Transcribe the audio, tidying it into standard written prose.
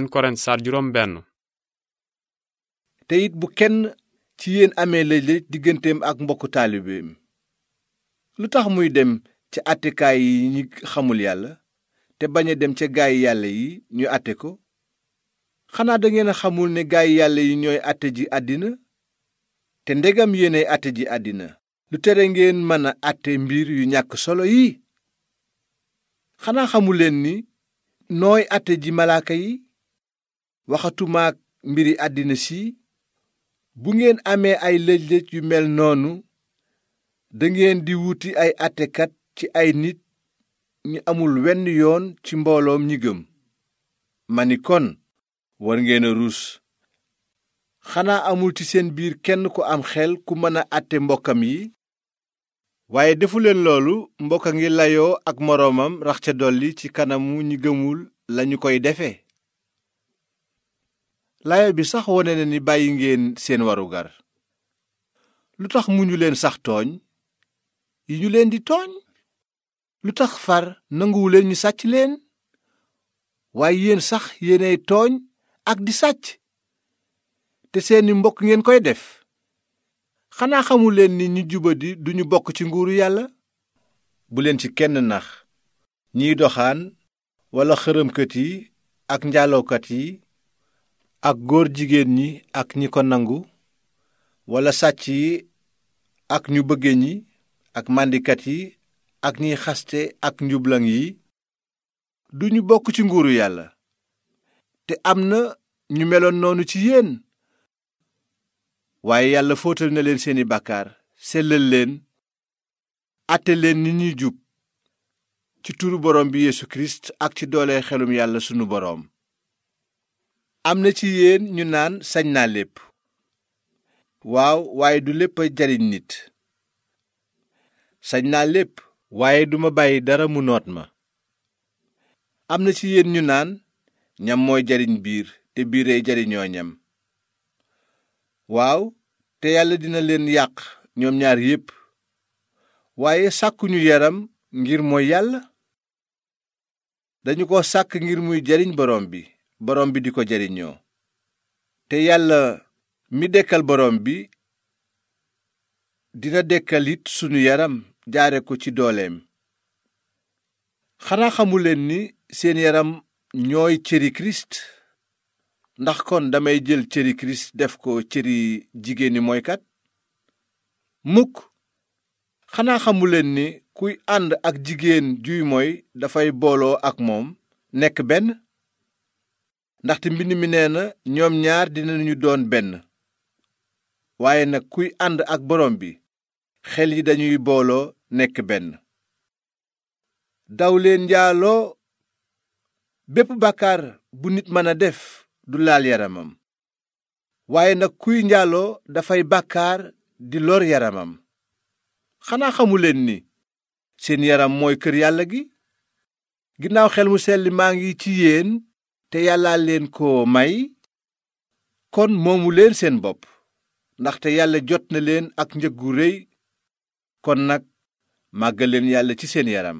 Korent saar juróom benn. te it bu kenn ci yéen amee lëj-lëj digganteem ak mbokku taalibeem lu tax muy dem ca àttekaay yi ñi xamul yàlla te bañ a dem ca gaay yàlla yi ñu àtte ko? xanaa dangeen a xamul ne gaay yàlla yi ñooy àtte ji àddina? te ndegam yéenay àtte ji àddina lu tere ngeen mën a àtte mbir yu ñàkk solo yi? xanaa xamuleen ni nooy àtte ji malaaka yi? waxatumaak mbiri àddina si. bu ngeen amee ay lëj-lëj yu mel noonu dangeen di wuti ay àttekat ci ay nit ñi amul wenn yoon ci mbooloom ñi gëm. ma ni kon war ngeen a ruus. xanaa amul ci seen biir kenn ku am xel ku mën a àtte mbokkam yi? waaye defuleen loolu mbokk a ngi layoo ak moroomam rax ca dolli ci kanamu ñi gëmul lañu koy defe. laaya bi sax wone na ni bàyyi ngeen seen warugar. lu tax muñu leen sax tooñ yi ñu leen di tooñ? lu tax far nanguwuleen ñu sàcc leen? waaye yéen sax yéenay tooñ ak di sàcc te seeni mbokk ngeen koy def. xanaa xamuleen ni ñu jubadi duñu bokk ci nguuru yàlla? bu leen ci kenn nax. ñiy doxaan walla xërëmkat yi ak njaalookat yi ak góor jigéen ñi ak ñi ko nangu walla sàcc yi ak ñu bëgge ñi ak màndikat yi ak ñiy xaste ak njublaŋ yi duñu bokk ci nguuru yàlla. te am na ñu meloon noonu ci yéen. waaye yàlla fóotal na leen seeni bàkkaar sellal leen àtte leen ni ñuy jub ci turu borom bi Yeesu Kirist ak ci doole xelum yàlla sunu boroom. am na ci yéen ñu naan sañ naa lépp. waaw waaye du lépp a jariñ nit. sañ naa lépp waaye duma bàyyi dara mu noot ma. am na ci yéen ñu naan ñam mooy jariñ biir te biiree jariñoo ñam. waaw te yàlla dina leen yàq ñoom ñaar yépp. waaye sàkkuñu yaram ngir mooy yàlla. dañu ko sàkk ngir muy jariñ borom bi di ko jariñoo. te yàlla mi dekkal borom bi dina dekkal it sunu yaram jaare ko ci dooleem. xanaa xamuleen ni seen yaram ñooy cëri Kirist? ndax kon damay jël cëri Kirist def ko cëri jigéeni mooykat? mukk. xanaa xamuleen ni kuy ànd ak jigéen juy mooy dafay booloo ak moom nekk benn? ndaxte mbind mi nee na ñoom ñaar dinañu doon benn. waaye nag kuy ànd ak borom bi xel yi dañuy booloo nekk benn. daw leen njaaloo. bépp bàkkaar bu nit mën a def du laal yaramam. waaye nag kuy njaaloo dafay bàkkaar di lor yaramam. xanaa xamuleen ni seen yaram mooy kër yàlla gi? ginnaaw xel mu sell maa ngi ci yéen te yàlla leen ko may. kon moomu leen seen bopp ndaxte yàlla jot na leen ak njëg gu réy. kon nag màggal leen yàlla ci seen yaram.